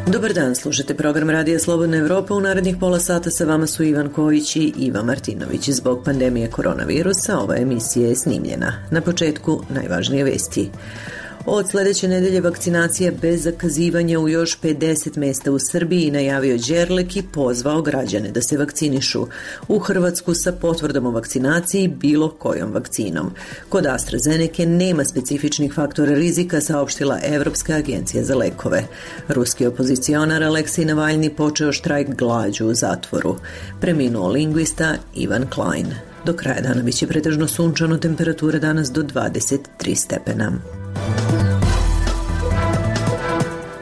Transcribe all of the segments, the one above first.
Dobar dan, slušate program Radija Slobodna Evropa. U narednih pola sata sa vama su Ivan Kojić i Iva Martinović. Zbog pandemije koronavirusa ova emisija je snimljena. Na početku najvažnije vesti. Od sledeće nedelje vakcinacija bez zakazivanja u još 50 mesta u Srbiji najavio Đerlek i pozvao građane da se vakcinišu. U Hrvatsku sa potvrdom o vakcinaciji bilo kojom vakcinom. Kod AstraZeneca nema specifičnih faktora rizika, saopštila Evropska agencija za lekove. Ruski opozicionar Aleksej Navalni počeo štrajk glađu u zatvoru. Preminuo lingvista Ivan Klein. Do kraja dana biće pretežno sunčano, temperatura danas do 23 stepena.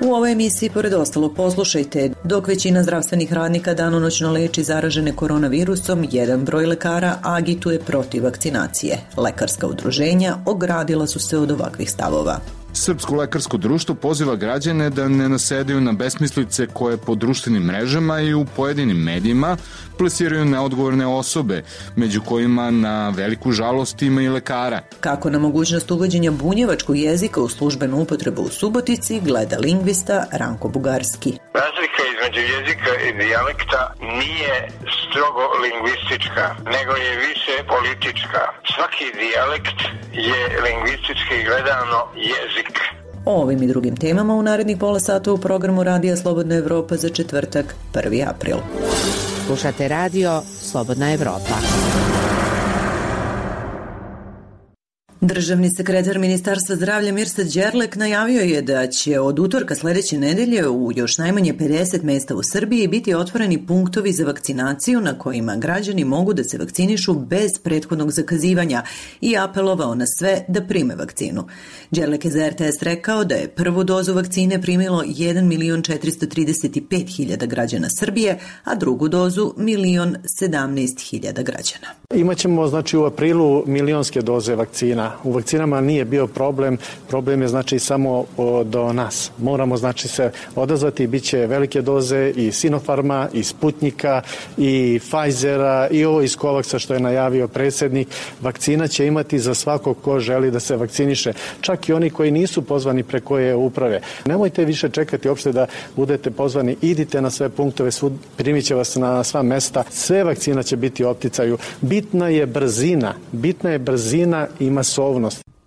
U ovoj emisiji, pored ostalog, poslušajte, dok većina zdravstvenih radnika danonoćno leči zaražene koronavirusom, jedan broj lekara agituje protiv vakcinacije. Lekarska udruženja ogradila su se od ovakvih stavova. Srpsko lekarsko društvo poziva građane da ne nasedaju na besmislice koje po društvenim mrežama i u pojedinim medijima plasiraju neodgovorne osobe, među kojima na veliku žalost ima i lekara. Kako na mogućnost uvođenja bunjevačkog jezika u službenu upotrebu u Subotici gleda lingvista Ranko Bugarski. Razlika između jezika i dijalekta nije strogo lingvistička, nego je više politička. Svaki dijalekt je lingvistički gledano jezik. O ovim i drugim temama u narednih pola sata u programu Radija Slobodna Evropa za četvrtak, 1. april. Slušate Radio Slobodna Evropa. Državni sekretar Ministarstva zdravlja Mirsad Đerlek najavio je da će od utorka sledeće nedelje u još najmanje 50 mesta u Srbiji biti otvoreni punktovi za vakcinaciju na kojima građani mogu da se vakcinišu bez prethodnog zakazivanja i apelovao na sve da prime vakcinu. Đerlek je za RTS rekao da je prvu dozu vakcine primilo 1.435.000 građana Srbije, a drugu dozu 1.017.000 građana. Imaćemo u aprilu milionske doze vakcina. U vakcinama nije bio problem je samo do nas. Moramo se odazvati, bit će velike doze i Sinopharma, i Sputnika, i Pfizera, i ovo iz Covaxa što je najavio predsjednik. Vakcina će imati za svakog ko želi da se vakciniše. Čak i oni koji nisu pozvani preko uprave. Nemojte više čekati uopšte da budete pozvani, idite na sve punktove, primit će vas na sva mesta. Sve vakcina će biti u opticaju. Bitna je brzina i masovnost.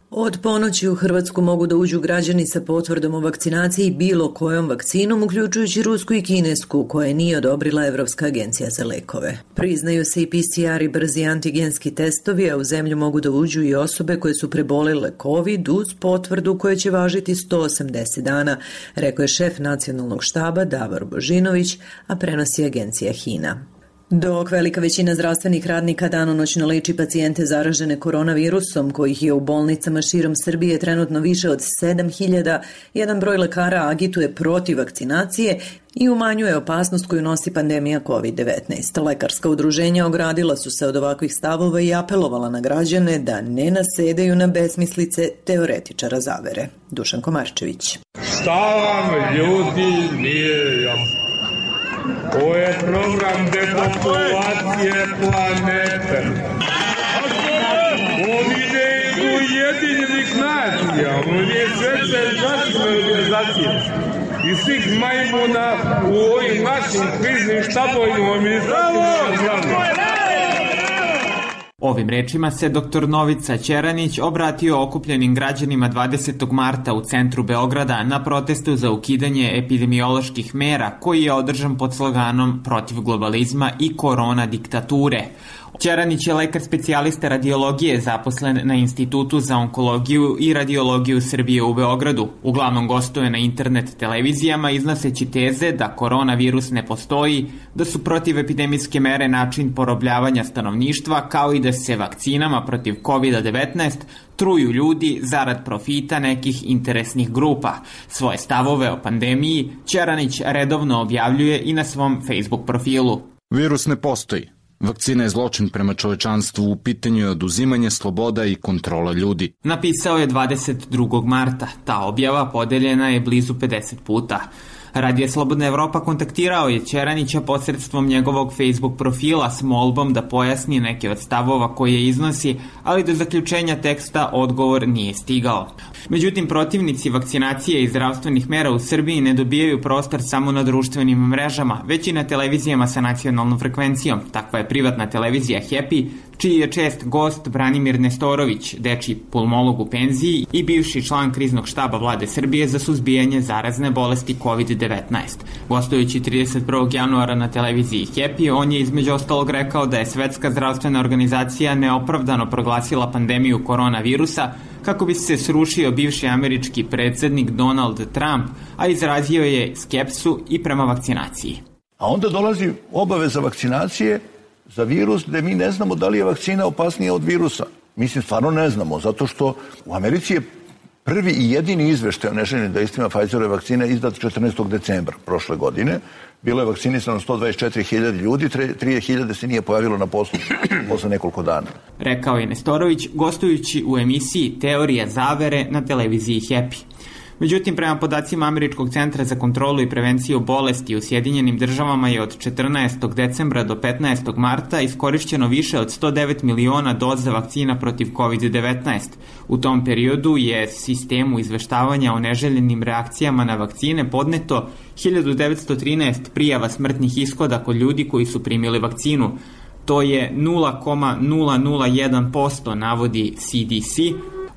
Od ponoći u Hrvatsku mogu da uđu građani sa potvrdom o vakcinaciji bilo kojom vakcinom, uključujući rusku i kinesku, koje nije odobrila Evropska agencija za lekove. Priznaju se i PCR i brzi antigenski testovi, a u zemlju mogu da uđu i osobe koje su prebolele COVID uz potvrdu koja će važiti 180 dana, rekao je šef nacionalnog štaba Davor Božinović, a prenosi agencija HINA. Dok velika većina zdravstvenih radnika danonoćno leči pacijente zaražene koronavirusom, kojih je u bolnicama širom Srbije trenutno više od 7.000, jedan broj lekara agituje protiv vakcinacije i umanjuje opasnost koju nosi pandemija COVID-19. Lekarska udruženja ogradila su se od ovakvih stavova i apelovala na građane da ne nasedaju na besmislice teoretičara zavere. Dušan Komarčević. Šta vam ljudi nije jasno? Ovo je program depopulacije planete. On ide iz Ujedinjenih nacija, on je Svetske zdravstvene organizacije i svih majmuna u ovim našim kriznim štabovima u Ministarstvu zdravlja. Ovim rečima se dr. Novica Ćeranić obratio okupljenim građanima 20. marta u centru Beograda na protestu za ukidanje epidemioloških mera koji je održan pod sloganom protiv globalizma i korona diktature. Ćeranić je lekar specijalista radiologije zaposlen na Institutu za onkologiju i radiologiju Srbije u Beogradu. Uglavnom gostuje na internet televizijama iznoseći teze da koronavirus ne postoji, da su protivepidemijske mere način porobljavanja stanovništva, kao i da se vakcinama protiv COVID-19 truju ljudi zarad profita nekih interesnih grupa. Svoje stavove o pandemiji Ćeranić redovno objavljuje i na svom Facebook profilu. Virus ne postoji. Vakcina je zločin prema čovečanstvu, u pitanju je oduzimanje sloboda i kontrola ljudi. Napisao je 22. marta. Ta objava podeljena je blizu 50 puta. Radio Slobodna Evropa kontaktirao je Ćeranića posredstvom njegovog Facebook profila s molbom da pojasni neke od stavova koje iznosi, ali do zaključenja teksta odgovor nije stigao. Međutim, protivnici vakcinacije i zdravstvenih mera u Srbiji ne dobijaju prostor samo na društvenim mrežama, već i na televizijama sa nacionalnom frekvencijom. Takva je privatna televizija Happy, čiji je čest gost Branimir Nestorović, dečiji pulmolog u penziji i bivši član kriznog štaba vlade Srbije za suzbijanje zarazne bolesti COVID-19. Gostujući 31. januara na televiziji Happy, on je između ostalog rekao da je Svetska zdravstvena organizacija neopravdano proglasila pandemiju koronavirusa kako bi se srušio bivši američki predsjednik Donald Trump, a izrazio je skepsu i prema vakcinaciji. A onda dolazi obaveza vakcinacije za virus gde mi ne znamo da li je vakcina opasnija od virusa. Mislim, stvarno ne znamo, zato što u Americi je prvi i jedini izveštaj o neželjenim dejstvima Pfizerove vakcine izdat 14. decembra prošle godine. Bilo je vakcinisano 124.000 ljudi, 3.000 se nije pojavilo na poslu posle nekoliko dana. Rekao je Nestorović, gostujući u emisiji Teorija zavere na televiziji Happy. Međutim, prema podacima Američkog centra za kontrolu i prevenciju bolesti u Sjedinjenim državama je od 14. decembra do 15. marta iskorišćeno više od 109 miliona doza vakcina protiv COVID-19. U tom periodu je sistemu izveštavanja o neželjenim reakcijama na vakcine podneto 1913 prijava smrtnih ishoda kod ljudi koji su primili vakcinu. To je 0,001%, navodi CDC.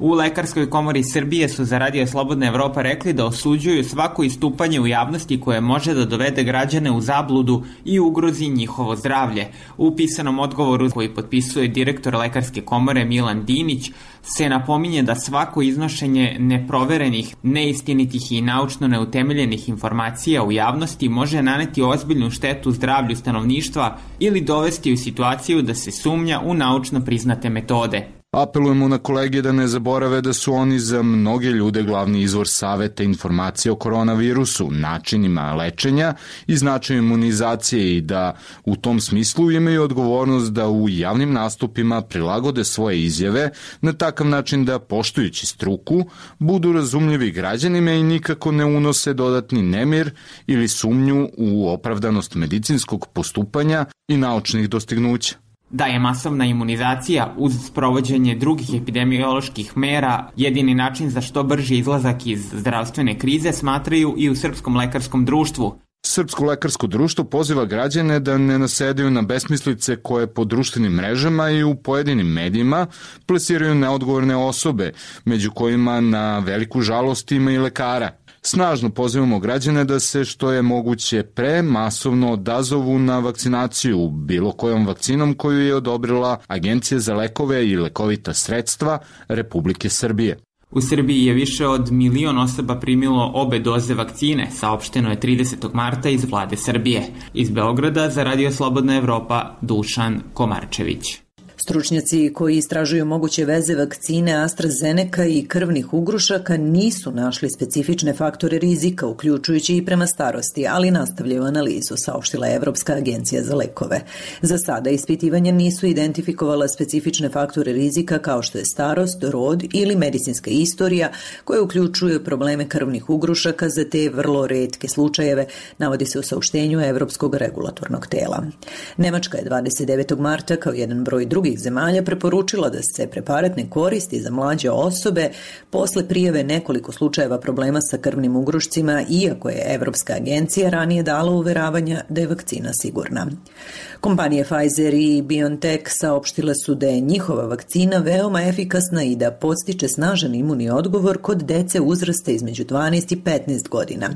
U Lekarskoj komori Srbije su za Radio Slobodna Evropa rekli da osuđuju svako istupanje u javnosti koje može da dovede građane u zabludu i ugrozi njihovo zdravlje. U pisanom odgovoru koji potpisuje direktor Lekarske komore Milan Dinić se napominje da svako iznošenje neproverenih, neistinitih i naučno neutemeljenih informacija u javnosti može naneti ozbiljnu štetu zdravlju stanovništva ili dovesti u situaciju da se sumnja u naučno priznate metode. Apelujemo na kolege da ne zaborave da su oni za mnoge ljude glavni izvor saveta informacije o koronavirusu, načinima lečenja i značaju imunizacije i da u tom smislu imaju odgovornost da u javnim nastupima prilagode svoje izjave na takav način da, poštujući struku, budu razumljivi građanima i nikako ne unose dodatni nemir ili sumnju u opravdanost medicinskog postupanja i naučnih dostignuća. Da je masovna imunizacija uz sprovođenje drugih epidemioloških mera jedini način za što brži izlazak iz zdravstvene krize, smatraju i u Srpskom lekarskom društvu. Srpsko lekarsko društvo poziva građane da ne nasedaju na besmislice koje po društvenim mrežama i u pojedinim medijima plasiraju neodgovorne osobe, među kojima na veliku žalost ima i lekara. Snažno pozivamo građane da se što je moguće pre masovno odazovu na vakcinaciju bilo kojom vakcinom koju je odobrila Agencija za lekove i lekovita sredstva Republike Srbije. U Srbiji je više od 1 milion osoba primilo obe doze vakcine, saopšteno je 30. marta iz vlade Srbije. Iz Beograda za Radio Slobodna Evropa, Dušan Komarčević. Stručnjaci koji istražuju moguće veze vakcine AstraZeneca i krvnih ugrušaka nisu našli specifične faktore rizika, uključujući i prema starosti, ali nastavljaju analizu, saopštila je Evropska agencija za lekove. Za sada ispitivanja nisu identifikovala specifične faktore rizika kao što je starost, rod ili medicinska istorija koje uključuju probleme krvnih ugrušaka za te vrlo retke slučajeve, navodi se u saopštenju Evropskog regulatornog tela. Nemačka je 29. marta kao jedan broj drugih zemalja preporučila da se preparat ne koristi za mlađe osobe posle prijave nekoliko slučajeva problema sa krvnim ugrušcima, iako je Evropska agencija ranije dala uveravanja da je vakcina sigurna. Kompanije Pfizer i BioNTech saopštile su da je njihova vakcina veoma efikasna i da podstiče snažan imunni odgovor kod dece uzrasta između 12 i 15 godina,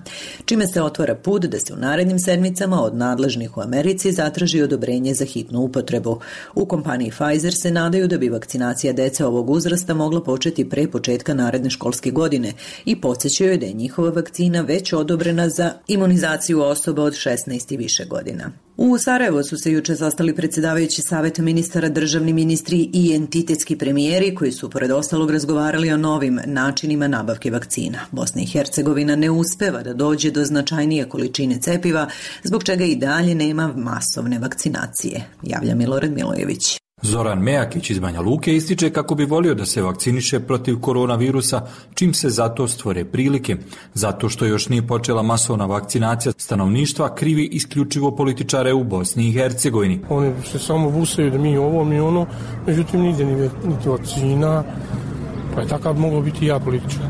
čime se otvara put da se u narednim sedmicama od nadležnih u Americi zatraži odobrenje za hitnu upotrebu. U kompaniji Pfizer se nadaju da bi vakcinacija dece ovog uzrasta mogla početi pre početka naredne školske godine i podsjećaju da je njihova vakcina već odobrena za imunizaciju osoba od 16 i više godina. U Sarajevo su se juče sastali predsjedavajući Savet ministara, državni ministri i entitetski premijeri koji su pored ostalog razgovarali o novim načinima nabavke vakcina. Bosna i Hercegovina ne uspeva da dođe do značajnije količine cepiva, zbog čega i dalje nema masovne vakcinacije, javlja Milorad Milojević. Zoran Mejakić iz Banja Luke ističe kako bi volio da se vakciniše protiv koronavirusa čim se za to stvore prilike. Zato što još nije počela masovna vakcinacija stanovništva, krivi isključivo političare u Bosni i Hercegovini. Oni se samo busaju da mi ovo, mi ono, međutim nigdje niti vakcina, pa je takav mogao biti ja političar.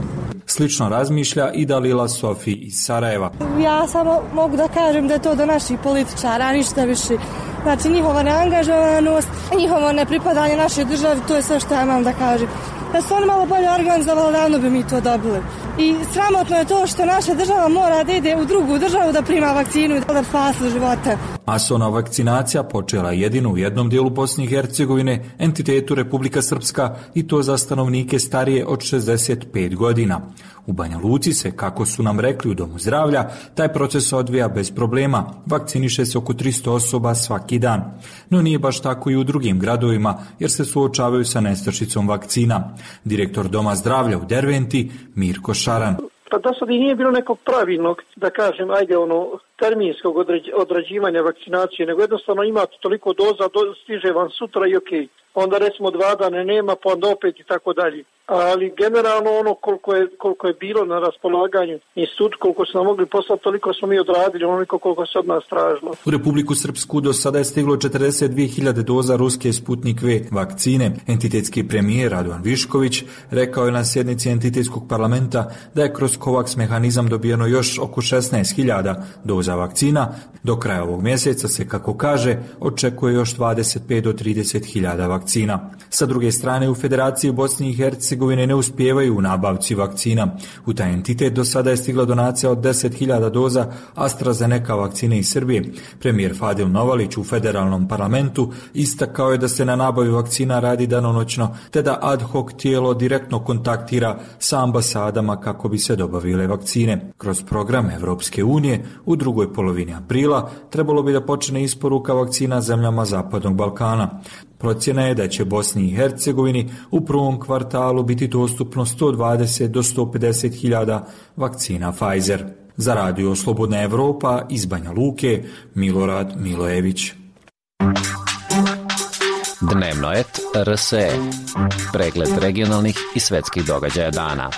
Slično razmišlja i Dalila Sofi iz Sarajeva. Ja samo mogu da kažem da je to do naših političara, ništa više. Znači njihova neangažovanost, njihovo nepripadanje našoj državi, to je sve što ja imam da kažem. Da su oni malo bolje organizovali, davno bi mi to dobili. I sramotno je to što naša država mora da ide u drugu državu da prima vakcinu i da spasi živote. Masovna vakcinacija počela jedino u jednom dijelu Bosne i Hercegovine, entitetu Republika Srpska, i to za stanovnike starije od 65 godina. U Banja Luci se, kako su nam rekli u Domu zdravlja, taj proces odvija bez problema. Vakciniše se oko 300 osoba svaki dan. No nije baš tako i u drugim gradovima, jer se suočavaju sa nestašicom vakcina. Direktor Doma zdravlja u Derventi, Mirko Šaran. Pa do sada i nije bilo nekog pravilnog, da kažem, terminskog odrađivanja vakcinacije, nego jednostavno imate toliko doza, stiže vam sutra i okej. Onda recimo 2 dana nema, pa onda opet i tako dalje. Ali generalno ono koliko je bilo na raspolaganju institut, koliko su nam mogli poslati, toliko smo mi odradili, onoliko koliko se od nas tražilo. U Republiku Srpsku do sada je stiglo 42.000 doza ruske Sputnik V vakcine. Entitetski premijer Radovan Višković rekao je na sjednici entitetskog parlamenta da je kroz COVAX mehanizam dobijeno još oko 16.000 doza vakcina. Do kraja ovog mjeseca se, kako kaže, očekuje još 25 do 30.000 vakcina. Sa druge strane, u Federaciji Bosne i Hercegovine ne uspijevaju u nabavci vakcina. U taj entitet do sada je stigla donacija od 10.000 doza AstraZeneca vakcine iz Srbije. Premijer Fadil Novalić u federalnom parlamentu istakao je da se na nabavi vakcina radi danonoćno, te da ad hoc tijelo direktno kontaktira sa ambasadama kako bi se dobavile vakcine. Kroz program Evropske unije u drugoj polovini aprila trebalo bi da počne isporuka vakcina zemljama Zapadnog Balkana. Procjena je da će Bosni i Hercegovini u prvom kvartalu biti dostupno 120 do 150.000 vakcina Pfizer. Za Radio Slobodna Evropa iz Banja Luke, Milorad Milojević. Dnevnoet RSE. Pregled regionalnih i svetskih događaja dana.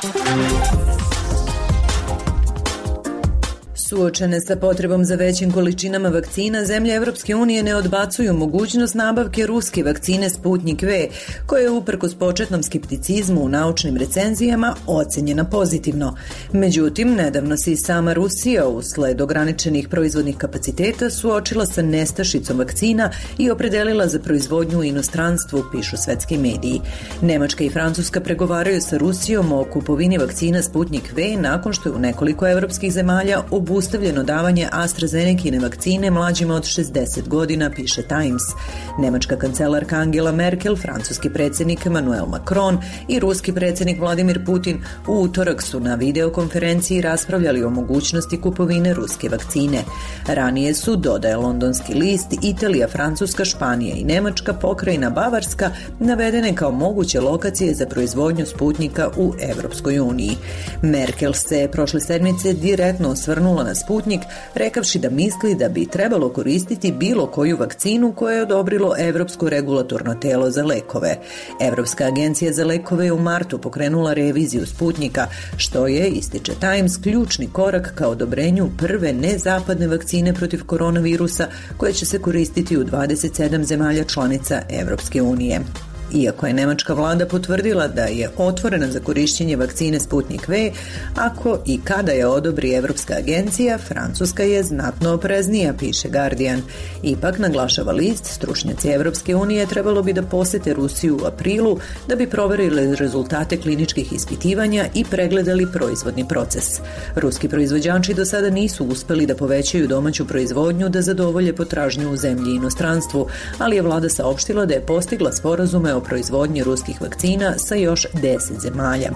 Suočene sa potrebom za većim količinama vakcina, zemlje Evropske unije ne odbacuju mogućnost nabavke ruske vakcine Sputnik V, koja je uprkos početnom skepticizmu u naučnim recenzijama ocenjena pozitivno. Međutim, nedavno se i sama Rusija usled ograničenih proizvodnih kapaciteta suočila sa nestašicom vakcina i opredelila za proizvodnju u inostranstvu, pišu svetski mediji. Nemačka i Francuska pregovaraju sa Rusijom o kupovini vakcina Sputnik V nakon što je u nekoliko evropskih zemalja obustavljeno davanje AstraZenecine vakcine mlađima od 60 godina, piše Times. Nemačka kancelarka Angela Merkel, francuski predsjednik Emmanuel Macron i ruski predsjednik Vladimir Putin u utorak su na videokonferenciji raspravljali o mogućnosti kupovine ruske vakcine. Ranije su, dodaje londonski list, Italija, Francuska, Španija i Nemačka, pokrajina Bavarska navedene kao moguće lokacije za proizvodnju Sputnika u Evropskoj uniji. Merkel se prošle sedmice direktno osvrnula na Sputnik, rekavši da misli da bi trebalo koristiti bilo koju vakcinu koje je odobrilo Evropsko regulatorno telo za lekove. Evropska agencija za lekove je u martu pokrenula reviziju Sputnika, što je, ističe Times, ključni korak ka odobrenju prve nezapadne vakcine protiv koronavirusa koje će se koristiti u 27 zemalja članica Evropske unije. Iako je nemačka vlada potvrdila da je otvorena za korišćenje vakcine Sputnik V, ako i kada je odobri Evropska agencija, Francuska je znatno opreznija, piše Guardian. Ipak, naglašava list, stručnjaci Evropske unije trebalo bi da posete Rusiju u aprilu da bi proverili rezultate kliničkih ispitivanja i pregledali proizvodni proces. Ruski proizvođači do sada nisu uspeli da povećaju domaću proizvodnju da zadovolje potražnju u zemlji i inostranstvu, ali je vlada saopštila da je postigla sporazume sporazume o proizvodnji ruskih vakcina sa još 10 zemalja.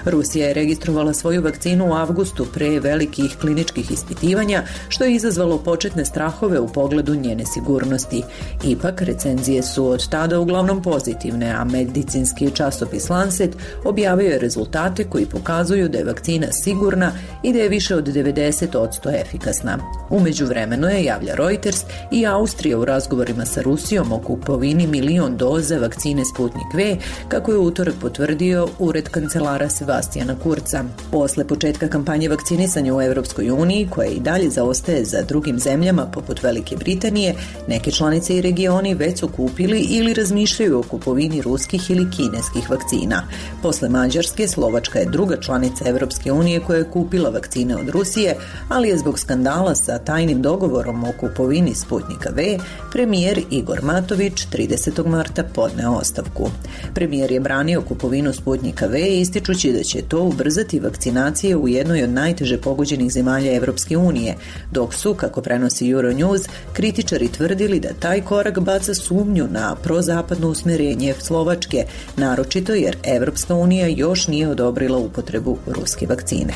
Rusija je registrovala svoju vakcinu u avgustu pre velikih kliničkih ispitivanja, što je izazvalo početne strahove u pogledu njene sigurnosti. Ipak, recenzije su od tada uglavnom pozitivne, a medicinski časopis Lancet objavio je rezultate koji pokazuju da je vakcina sigurna i da je više od 90% efikasna. U međuvremenu je, javlja Reuters, i Austrija u razgovorima sa Rusijom o kupovini 1 milion doza vakcine Sputnik V, kako je u utorak potvrdio ured kancelara Sebastijana Kurca. Posle početka kampanje vakcinisanja u Evropskoj uniji, koja i dalje zaostaje za drugim zemljama poput Velike Britanije, neke članice i regioni već su kupili ili razmišljaju o kupovini ruskih ili kineskih vakcina. Posle Mađarske, Slovačka je druga članica Evropske unije koja je kupila vakcine od Rusije, ali je zbog skandala sa tajnim dogovorom o kupovini Sputnika V, premijer Igor Matović 30. marta podneo ostavku. Premijer je branio kupovinu Sputnika V, ističući da će to ubrzati vakcinacije u jednoj od najteže pogođenih zemalja Evropske unije, dok su, kako prenosi Euronews, kritičari tvrdili da taj korak baca sumnju na prozapadno usmerenje Slovačke, naročito jer Evropska unija još nije odobrila upotrebu ruske vakcine.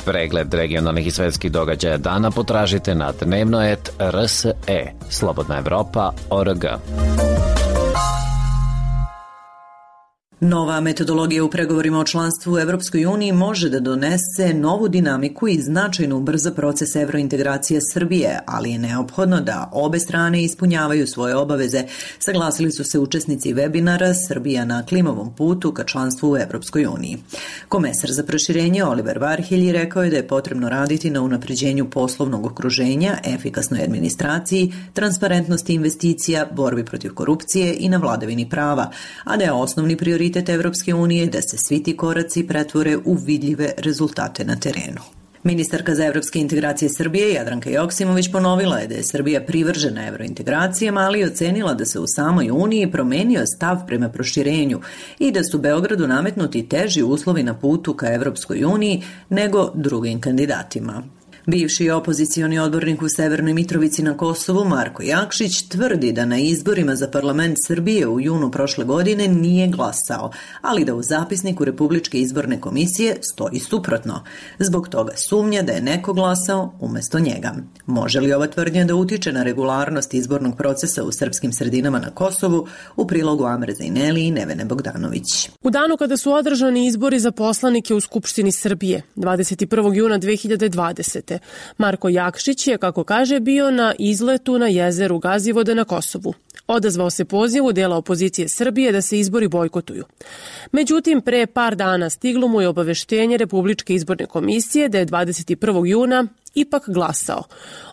Pregled regionalnih i svetskih događaja dana potražite na dnevno.rs.e, slobodnaevropa.org. Nova metodologija u pregovorima o članstvu u Evropskoj uniji može da donese novu dinamiku i značajno ubrza proces evrointegracije Srbije, ali je neophodno da obe strane ispunjavaju svoje obaveze, saglasili su se učesnici webinara Srbija na klimovom putu ka članstvu u Evropskoj uniji. Komesar za proširenje Oliver Varhelji rekao je da je potrebno raditi na unapređenju poslovnog okruženja, efikasnoj administraciji, transparentnosti investicija, borbi protiv korupcije i na vladavini prava, a da je osnovni prioritet Evropske unije da se svi ti koraci pretvore u vidljive rezultate na terenu. Ministarka za evropske integracije Srbije Jadranka Joksimović ponovila je da je Srbija privržena evrointegracijama, ali ocenila da se u samoj Uniji promenio stav prema proširenju i da su Beogradu nametnuti teži uslovi na putu ka Evropskoj uniji nego drugim kandidatima. Bivši opozicioni odbornik u Severnoj Mitrovici na Kosovu Marko Jakšić tvrdi da na izborima za parlament Srbije u junu prošle godine nije glasao, ali da u zapisniku Republičke izborne komisije stoji suprotno. Zbog toga sumnja da je neko glasao umesto njega. Može li ova tvrdnja da utiče na regularnost izbornog procesa u srpskim sredinama na Kosovu? U prilogu Amre Zajneli i Nevene Bogdanović. U danu kada su održani izbori za poslanike u Skupštini Srbije, 21. juna 2020. Marko Jakšić je, kako kaže, bio na izletu na jezeru Gazivode na Kosovu. Odazvao se pozivu dela opozicije Srbije da se izbori bojkotuju. Međutim, pre par dana stiglo mu je obaveštenje Republičke izborne komisije da je 21. juna ipak glasao,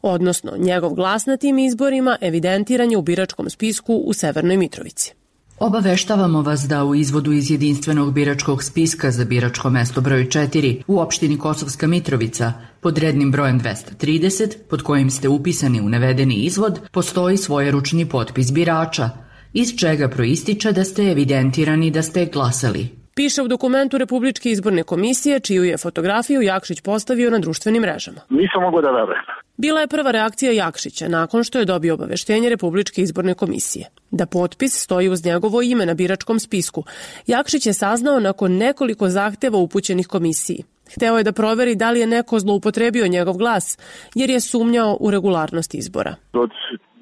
odnosno njegov glas na tim izborima evidentiran je u biračkom spisku u Severnoj Mitrovici. Obaveštavamo vas da u izvodu iz jedinstvenog biračkog spiska za biračko mesto broj 4 u opštini Kosovska Mitrovica pod rednim brojem 230, pod kojim ste upisani u navedeni izvod, postoji svojeručni potpis birača, iz čega proističe da ste evidentirani da ste glasali. Piše u dokumentu Republičke izborne komisije, čiju je fotografiju Jakšić postavio na društvenim mrežama. Nisam mogao da verujem. Bila je prva reakcija Jakšića nakon što je dobio obaveštenje Republičke izborne komisije. Da potpis stoji uz njegovo ime na biračkom spisku. Jakšić je saznao nakon nekoliko zahteva upućenih komisiji. Hteo je da proveri da li je neko zloupotrebio njegov glas, jer je sumnjao u regularnost izbora. Od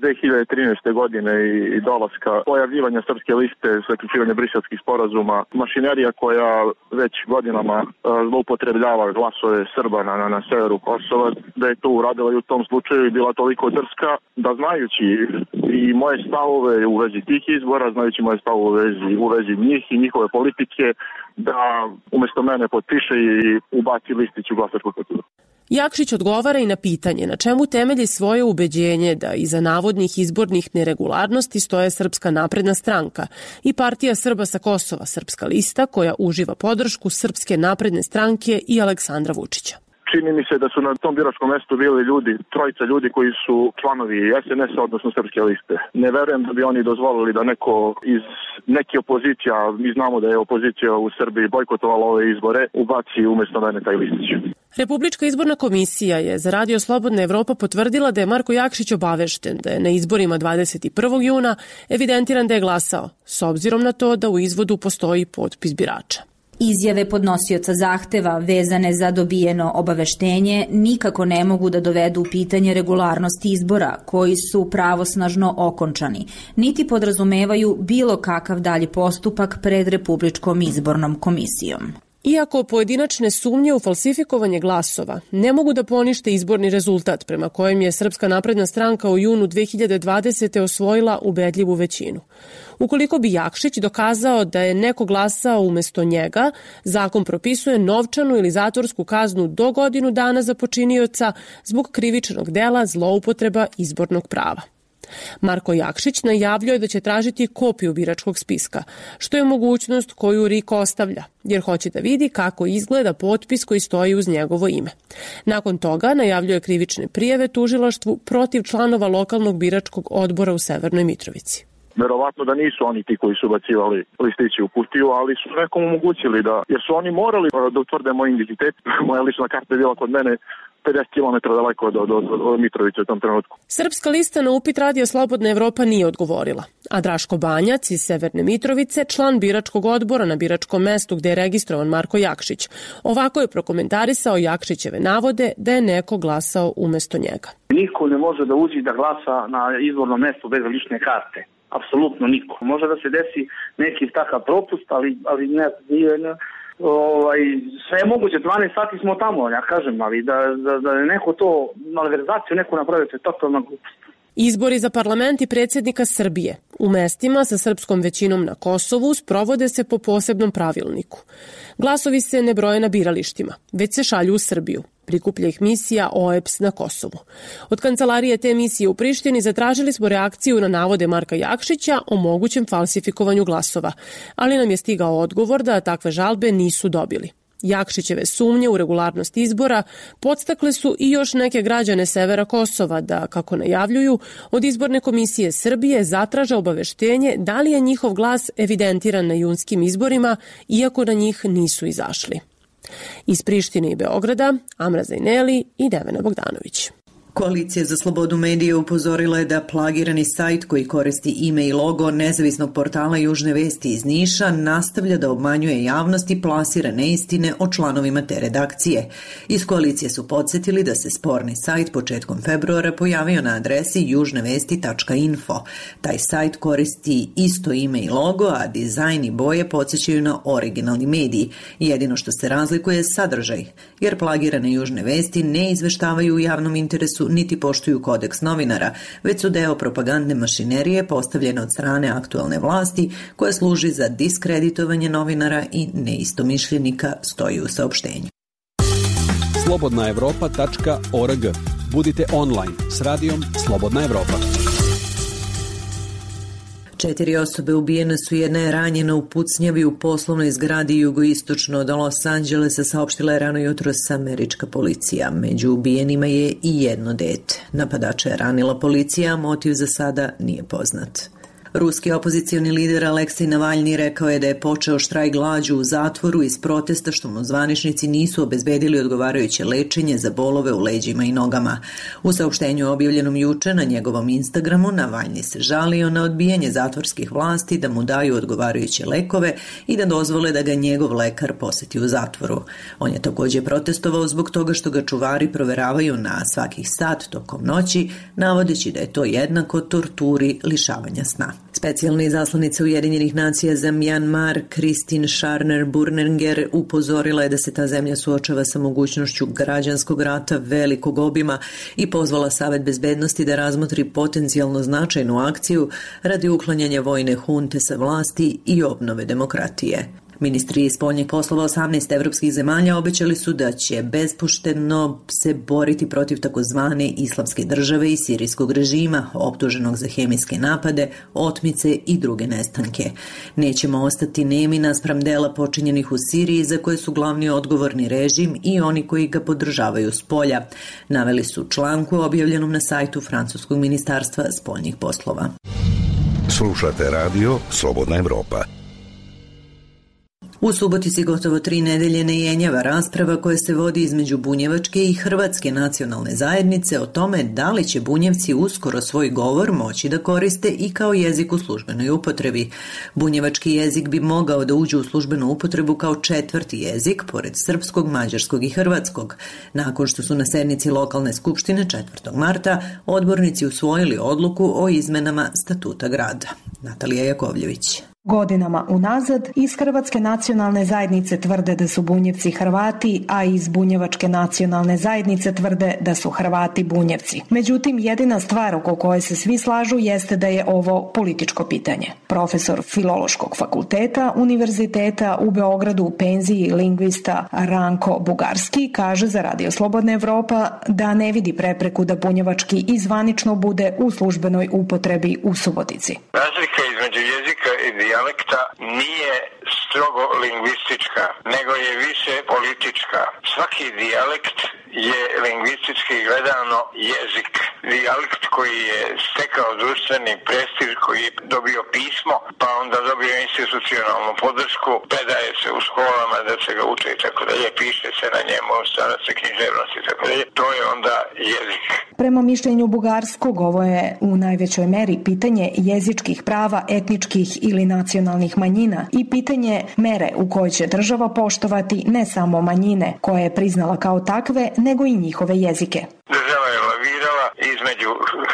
2013. godine i dolaska pojavljivanja srpske liste, zaključivanja briselskih sporazuma, mašinerija koja već godinama zloupotrebljava glasove Srba na severu Kosova, da je to uradila i u tom slučaju i bila toliko drska da, znajući i moje stavove u vezi tih izbora, znajući moje stavove u vezi njih i njihove politike, da umesto mene potpiše i ubaci listić u glasačku kutiju. Jakšić odgovara i na pitanje na čemu temelji svoje ubeđenje da iza navodnih izbornih neregularnosti stoje Srpska napredna stranka i Partija Srba sa Kosova, Srpska lista, koja uživa podršku Srpske napredne stranke i Aleksandra Vučića. čini mi se da su na tom biračkom mestu bili trojica ljudi koji su članovi SNS-a, odnosno Srpske liste. Ne verujem da bi oni dozvolili da neko iz neke opozicija, mi znamo da je opozicija u Srbiji bojkotovala ove izbore, ubaci umjesto mene taj listić. Republička izborna komisija je za Radio Slobodna Evropa potvrdila da je Marko Jakšić obavešten da je na izborima 21. juna evidentiran da je glasao, s obzirom na to da u izvodu postoji potpis birača. Izjave podnosioca zahteva vezane za dobijeno obaveštenje nikako ne mogu da dovedu u pitanje regularnost izbora koji su pravosnažno okončani, niti podrazumevaju bilo kakav dalji postupak pred Republičkom izbornom komisijom. Iako pojedinačne sumnje u falsifikovanje glasova ne mogu da ponište izborni rezultat prema kojem je Srpska napredna stranka u junu 2020. osvojila ubedljivu većinu. Ukoliko bi Jakšić dokazao da je neko glasao umesto njega, zakon propisuje novčanu ili zatvorsku kaznu do godinu dana za počinioca zbog krivičnog dela zloupotreba izbornog prava. Marko Jakšić najavljuje da će tražiti kopiju biračkog spiska, što je mogućnost koju RIK ostavlja, jer hoće da vidi kako izgleda potpis koji stoji uz njegovo ime. Nakon toga najavljuje krivične prijave tužilaštvu protiv članova lokalnog biračkog odbora u Severnoj Mitrovici. Verovatno da nisu oni ti koji su bacivali listići u kutiju, ali su nekom omogućili da, jer su oni morali da utvrde moj identitet. Moja lična karta je bila kod mene 50 km daleko od Mitrovice u tom trenutku. Srpska lista na upit Radio Slobodna Evropa nije odgovorila, a Draško Banjac iz Severne Mitrovice, član biračkog odbora na biračkom mestu gde je registrovan Marko Jakšić, ovako je prokomentarisao Jakšićeve navode da je neko glasao umesto njega. Niko ne može da uđe da glasa na izbornom mestu bez lične karte. Apsolutno niko. Može da se desi neki takav propust, ali ne, sve je moguće, 12 sati smo tamo, ja kažem, ali da neko to, malverzaciju neko napravi, to je totalna glupost. Izbori za parlament i predsjednika Srbije u mestima sa srpskom većinom na Kosovu sprovode se po posebnom pravilniku. Glasovi se ne broje na biralištima, već se šalju u Srbiju. Prikuplja ih misija OEBS na Kosovu. Od kancelarije te misije u Prištini zatražili smo reakciju na navode Marka Jakšića o mogućem falsifikovanju glasova, ali nam je stigao odgovor da takve žalbe nisu dobili. Jakšićeve sumnje u regularnost izbora podstakle su i još neke građane severa Kosova da, kako najavljuju, od izborne komisije Srbije zatraže obaveštenje da li je njihov glas evidentiran na junskim izborima, iako na njih nisu izašli. Iz Prištine i Beograda, Amra Zajneli i Devena Bogdanović. Koalicija za slobodu medija upozorila je da plagirani sajt koji koristi ime i logo nezavisnog portala Južne vesti iz Niša nastavlja da obmanjuje javnost i plasira neistine o članovima te redakcije. Iz koalicije su podsjetili da se sporni sajt početkom februara pojavio na adresi južnevesti.info. Taj sajt koristi isto ime i logo, a dizajn i boje podsjećaju na originalni mediji. Jedino što se razlikuje je sadržaj, jer plagirane Južne vesti ne izveštavaju u javnom interesu niti poštuju kodeks novinara, već su deo propagandne mašinerije postavljene od strane aktualne vlasti koja služi za diskreditovanje novinara i neistomišljenika, stoji u saopštenju. slobodnaevropa.org. Budite online s radijom Slobodna Evropa. 4 osobe ubijene su, jedna je ranjena u pucnjavi u poslovnoj zgradi jugoistočno od Los Angelesa, saopštila je rano jutros američka policija. Među ubijenima je i jedno dete. Napadača je ranila policija, a motiv za sada nije poznat. Ruski opozicioni lider Aleksej Navalni rekao je da je počeo štrajk glađu u zatvoru iz protesta što mu zvaničnici nisu obezbedili odgovarajuće lečenje za bolove u leđima i nogama. U saopštenju objavljenom juče na njegovom Instagramu Navalni se žalio na odbijanje zatvorskih vlasti da mu daju odgovarajuće lekove i da dozvole da ga njegov lekar poseti u zatvoru. On je također protestovao zbog toga što ga čuvari proveravaju na svakih sat tokom noći, navodeći da je to jednako torturi lišavanja sna. Specijalna izaslanica Ujedinjenih nacija za Mjanmar, Kristin Scharner-Burninger, upozorila je da se ta zemlja suočava sa mogućnošću građanskog rata velikog obima i pozvala Savet bezbednosti da razmotri potencijalno značajnu akciju radi uklanjanja vojne hunte sa vlasti i obnove demokratije. Ministri spoljnih poslova 18 evropskih zemalja obećali su da će bespoštedno se boriti protiv takozvane islamske države i sirijskog režima, optuženog za hemijske napade, otmice i druge nestanke. Nećemo ostati nemi naspram dela počinjenih u Siriji za koje su glavni odgovorni režim i oni koji ga podržavaju s polja, naveli su članku objavljenom na sajtu Francuskog ministarstva spoljnih poslova. Slušate radio Slobodna Evropa. U Subotici gotovo 3 nedelje ne jenjava rasprava koja se vodi između bunjevačke i hrvatske nacionalne zajednice o tome da li će Bunjevci uskoro svoj govor moći da koriste i kao jezik u službenoj upotrebi. Bunjevački jezik bi mogao da uđe u službenu upotrebu kao 4. jezik, pored srpskog, mađarskog i hrvatskog. Nakon što su na sednici lokalne skupštine 4. marta odbornici usvojili odluku o izmenama statuta grada. Natalija Jakovljević. Godinama unazad iz Hrvatske nacionalne zajednice tvrde da su Bunjevci Hrvati, a iz Bunjevačke nacionalne zajednice tvrde da su Hrvati Bunjevci. Međutim, jedina stvar oko koje se svi slažu jeste da je ovo političko pitanje. Profesor Filološkog fakulteta Univerziteta u Beogradu u penziji lingvista Ranko Bugarski kaže za Radio Slobodna Evropa da ne vidi prepreku da bunjevački i zvanično bude u službenoj upotrebi u Subotici. Razlika između jezika i dijalekta nije strogo lingvistička, nego je više politička. Svaki dijalekt je lingvistički gledano jezik. Dijalekt koji je stekao društveni prestiž, koji je dobio pismo, pa onda dobio institucionalnu podršku, predaje se u školama da se ga uče i tako dalje, piše se na njemu, stvara se književnost i tako dalje. To je onda jezik. Prema mišljenju Bugarskog, ovo je u najvećoj meri pitanje jezičkih prava etničkih ili nacionalnih manjina i pitanje mere u kojoj će država poštovati ne samo manjine koje je priznala kao takve, nego i njihove jezike. Država je lavirala između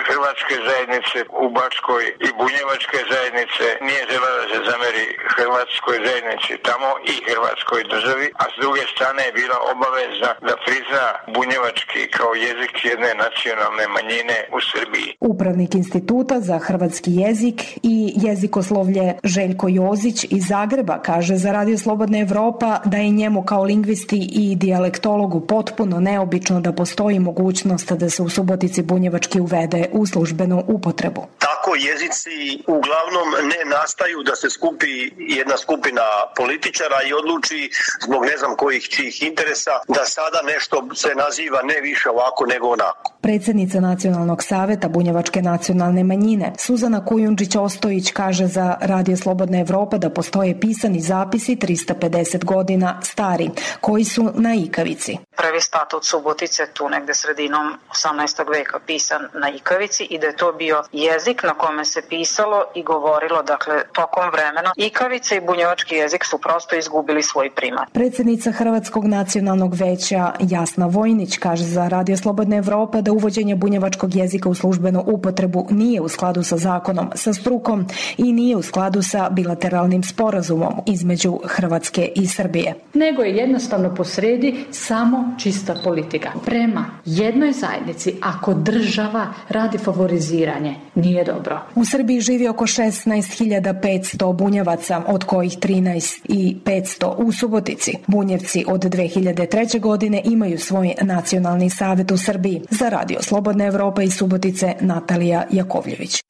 hrvatske zajednice u Bačkoj i bunjevačke zajednice. Nije želela da se zameri hrvatskoj zajednici tamo i hrvatskoj državi, a s druge strane je bila obavezna da prizna bunjevački kao jezik jedne nacionalne manjine u Srbiji. Upravnik Instituta za hrvatski jezik i jezikoslovlje Željko Jozić iz Zagreba kaže za Radio Slobodna Evropa da je njemu kao lingvisti i dijalektologu potpuno neobično da postoji mogućnost da se u Subotici bunjevački uvede u službenu upotrebu. Tako jezici uglavnom ne nastaju da se skupi jedna skupina političara i odluči zbog ne znam kojih čijih interesa da sada nešto se naziva ne više ovako nego onako. Predsjednica Nacionalnog saveta bunjevačke nacionalne manjine Suzana Kujundžić-Ostojić kaže za Radio Slobodna Evropa da postoje pisani zapisi 350 godina stari, koji su na ikavici. Prvi statut Subotice tu negde sredinom 18. veka pisan na ikavici i da je to bio jezik na kome se pisalo i govorilo, dakle, tokom vremena. Ikavica i bunjevački jezik su prosto izgubili svoj primat. Predsjednica Hrvatskog nacionalnog veća Jasna Vojnić kaže za Radio Slobodna Evropa da uvođenje bunjevačkog jezika u službenu upotrebu nije u skladu sa zakonom, sa strukom i nije u skladu sa bilateralnim sporazumom između Hrvatske i Srbije. Nego je jednostavno posredi samo čista politika. Prema jednoj zajednici, ako država radi favoriziranje, nije dobro. U Srbiji živi oko 16.500 bunjevaca, od kojih 13.500 u Subotici. Bunjevci od 2003. godine imaju svoj nacionalni savjet u Srbiji. Za Radio Slobodna Evropa iz Subotice, Natalija Jakovljević.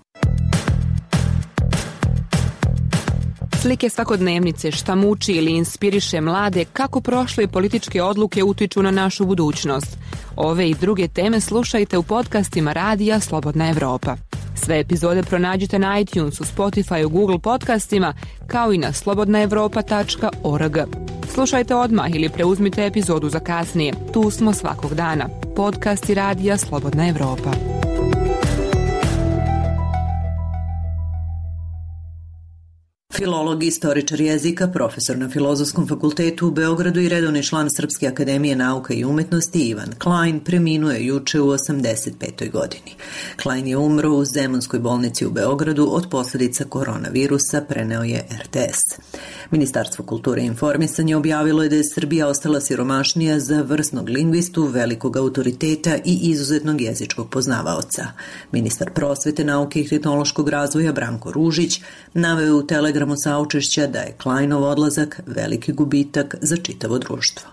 Slike svakodnevnice, šta muči ili inspiriše mlade, kako prošle političke odluke utiču na našu budućnost. Ove i druge teme slušajte u podcastima Radija Slobodna Evropa. Sve epizode pronađite na iTunesu, Spotify, Google podcastima, kao i na slobodnaevropa.org. Slušajte odmah ili preuzmite epizodu za kasnije. Tu smo svakog dana. Podcasti Radija Slobodna Evropa. Filolog i istoričar jezika, profesor na Filozofskom fakultetu u Beogradu i redovni član Srpske akademije nauka i umetnosti Ivan Klein preminuo je juče u 85. godini. Klein je umro u Zemunskoj bolnici u Beogradu od posljedica koronavirusa, preneo je RTS. Ministarstvo kulture i informisanja objavilo je da je Srbija ostala siromašnija za vrsnog lingvistu, velikog autoriteta i izuzetnog jezičkog poznavaoca. Ministar prosvete, nauke i tehnološkog razvoja Branko Ružić naveo je u telegramu saučešća da je Klajnov odlazak veliki gubitak za čitavo društvo.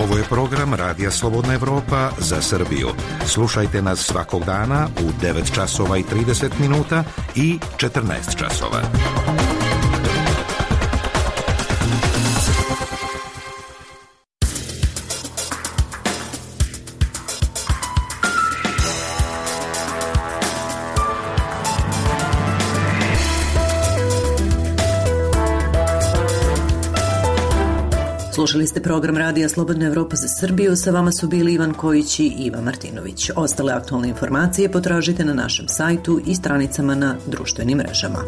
Ovo je program Radija Slobodna Evropa za Srbiju. Slušajte nas svakog dana u 9 časova i 30 minuta i 14 časova. Slušali ste program Radija Slobodna Evropa za Srbiju, sa vama su bili Ivan Kojić i Iva Martinović. Ostale aktualne informacije potražite na našem sajtu i stranicama na društvenim mrežama.